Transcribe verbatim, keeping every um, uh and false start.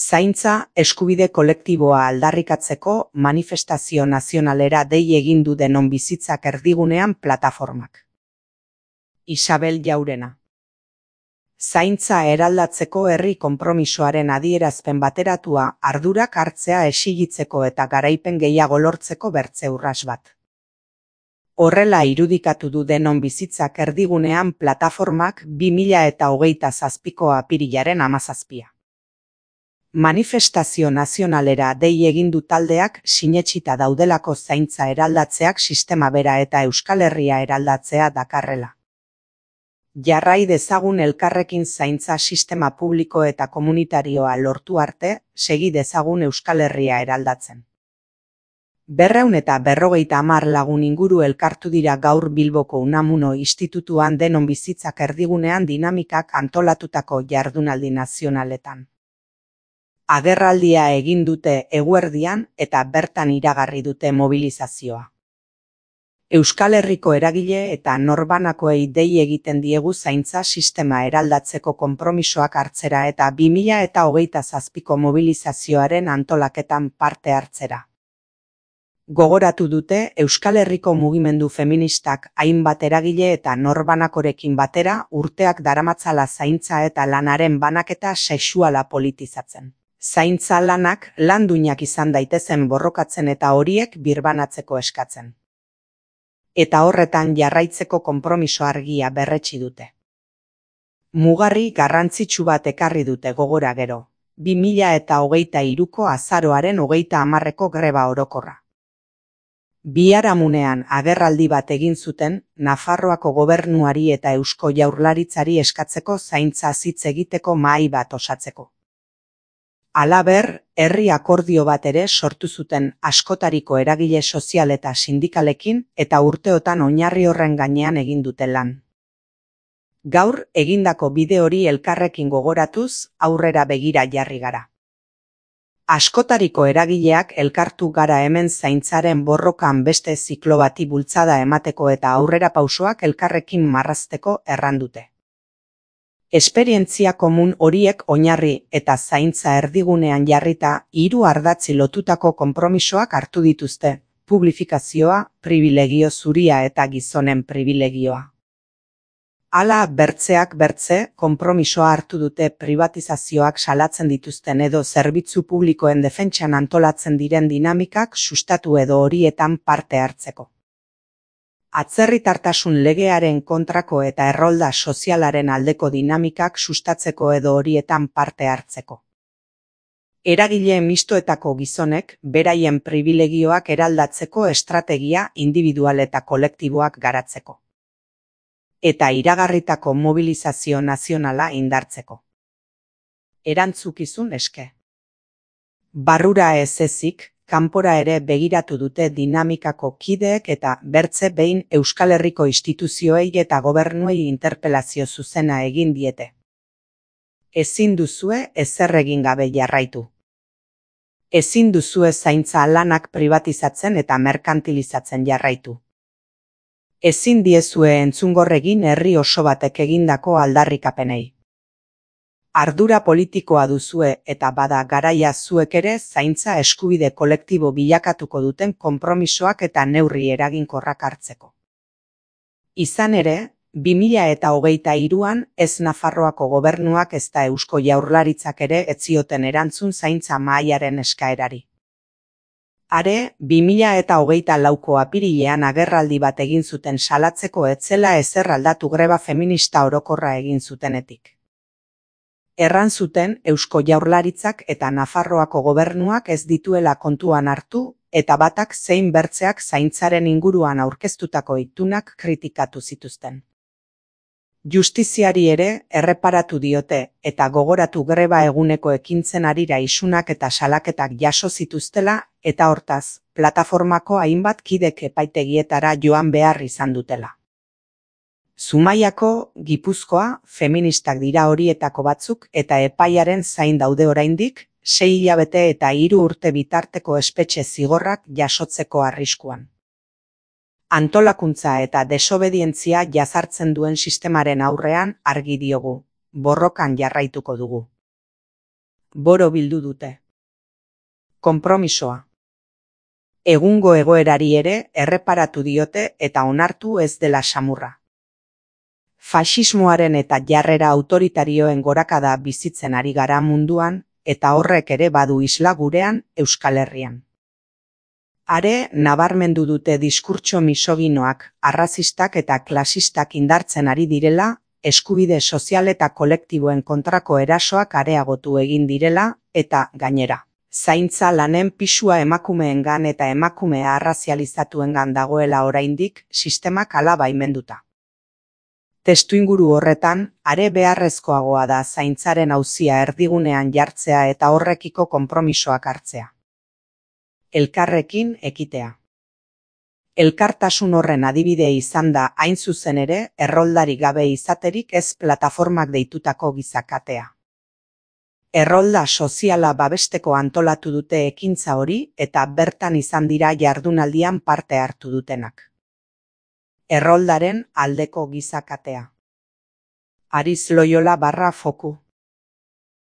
Zaintza eskubide kolektiboa aldarrikatzeko manifestazio nazionalera dei egin du Denon Bizitzak Erdigunean plataformak. Isabel Jaurena. Zaintza eraldatzeko herri konpromisoaren adierazpen bateratua ardurak hartzea exigitzeko eta garaipen gehiago lortzeko bertze urras bat. Horrela irudikatu du Denon Bizitzak Erdigunean plataformak bi mila eta hogeita zazpiko apirilaren hamazazpia. Manifestazio nazionalera dei egin du taldeak sinetsita daudelako zaintza eraldatzeak sistema bera eta Euskal Herria eraldatzea dakarrela. Jarrai dezagun elkarrekin zaintza sistema publiko eta komunitarioa lortu arte, segi dezagun Euskal Herria eraldatzen. Berreun eta berrogeita hamar lagun inguru elkartu dira gaur Bilboko Unamuno Institutuan Denon Bizitzak Erdigunean dinamikak antolatutako jardunaldi nazionaletan. Agerraldia egin dute eguerdian eta bertan iragarri dute mobilizazioa. Euskal Herriko eragile eta norbanakoei dei egiten diegu zaintza sistema eraldatzeko konpromisoak hartzera eta bi mila eta hogeita zazpiko mobilizazioaren antolaketan parte hartzera. Gogoratu dute Euskal Herriko mugimendu feministak hainbat eragile eta norbanakorekin batera urteak daramatzala zaintza eta lanaren banaketa sexuala politizatzen. Zaintza lanak lan duinak izan daitezen borrokatzen eta horiek birbanatzeko eskatzen. Eta horretan jarraitzeko konpromiso argia berretsi dute. Mugarri garrantzitsu bat ekarri dute gogora gero, bi mila eta hogeita hiruko azaroaren hogeita hamarreko greba orokorra. Biharamunean agerraldi bat egin zuten Nafarroako gobernuari eta Eusko Jaurlaritzari eskatzeko zaintza hitz egiteko mahai bat osatzeko. Halaber, herri akordio bat ere sortu zuten askotariko eragile sozial eta sindikalekin eta urteotan oinarri horren gainean egin dute lan. Gaur egindako bide hori elkarrekin gogoratuz aurrera begira jarri gara. Askotariko eragileak elkartu gara hemen zaintzaren borrokan beste ziklo bati bultzada emateko eta aurrera pausoak elkarrekin marrazteko errandute. Esperientzia komun horiek oinarri eta zaintza erdigunean jarrita hiru ardatzi lotutako konpromisoak hartu dituzte, publifikazioa, pribilegio zuria eta gizonen pribilegioa. Hala bertzeak bertze, konpromisoa hartu dute pribatizazioak salatzen dituzten edo zerbitzu publikoen defentsan antolatzen diren dinamikak sustatu edo horietan parte hartzeko. Atzerritartasun legearen kontrako eta errolda sozialaren aldeko dinamikak sustatzeko edo horietan parte hartzeko. Eragile mistoetako gizonek beraien pribilegioak eraldatzeko estrategia individual eta kolektiboak garatzeko. Eta iragarritako mobilizazio nazionala indartzeko. Erantzukizun eske. Barrura ez ezik, kanpora ere begiratu dute dinamikako kideek eta bertze behin Euskal Herriko instituzioei eta gobernuei interpelazio zuzena egin diete. Ezin duzue ezer egin gabe jarraitu. Ezin duzue zaintza lanak pribatizatzen eta merkantilizatzen jarraitu. Ezin diezue entzungorregin herri oso batek egindako aldarrikapenei. Ardura politikoa duzue eta bada garaia zuek ere zaintza eskubide kolektibo bilakatuko duten konpromisoak eta neurri eraginkorrak hartzeko. Izan ere, bi mila eta hogeita hiruan ez Nafarroako gobernuak ezta Eusko Jaurlaritzak ere ez zioten erantzun zaintza mahaiaren eskaerari. Are, bi mila eta hogeita lauko apirilean agerraldi bat egin zuten salatzeko ez zela ezer aldatu greba feminista orokorra egin zutenetik. Erran zuten Eusko Jaurlaritzak eta Nafarroako gobernuak ez dituela kontuan hartu eta batak zein bertzeak zaintzaren inguruan aurkeztutako itunak kritikatu zituzten. Justiziari ere erreparatu diote eta gogoratu greba eguneko ekintzen harira isunak eta salaketak jaso zituztela eta hortaz, plataformako hainbat kidek epaitegietara joan behar izan dutela. Zumaiako, Gipuzkoa, feministak dira horietako batzuk eta epaiaren zain daude oraindik, sei hilabete eta hiru urte bitarteko espetxe zigorrak jasotzeko arriskuan. Antolakuntza eta desobedientzia jazartzen duen sistemaren aurrean argi diogu, borrokan jarraituko dugu. boro bildu dute. Konpromisoa. Egungo egoerari ere erreparatu diote eta onartu ez dela samurra. Faxismoaren eta jarrera autoritarioen gorakada bizitzen ari gara munduan, eta horrek ere badu isla gurean, Euskal Herrian. Are, nabarmendu dute diskurtso misoginoak, arrazistak eta klasistak indartzen ari direla, eskubide sozial eta kolektiboen kontrako erasoak areagotu egin direla, eta, gainera, zaintza lanen pisua emakumeengan eta emakumea arrazializatuengan dagoela oraindik sistemak hala baimenduta. Testuinguru horretan, are beharrezkoagoa da zaintzaren auzia erdigunean jartzea eta horrekiko konpromisoak hartzea. Elkarrekin ekitea. Elkartasun horren adibide izan da hain zuzen ere erroldari gabe izaterik ez plataformak deitutako gizakatea. Errolda soziala babesteko antolatu dute ekintza hori eta bertan izan dira jardunaldian parte hartu dutenak. Erroldaren aldeko gizakatea. Ariz Loyola barra foku.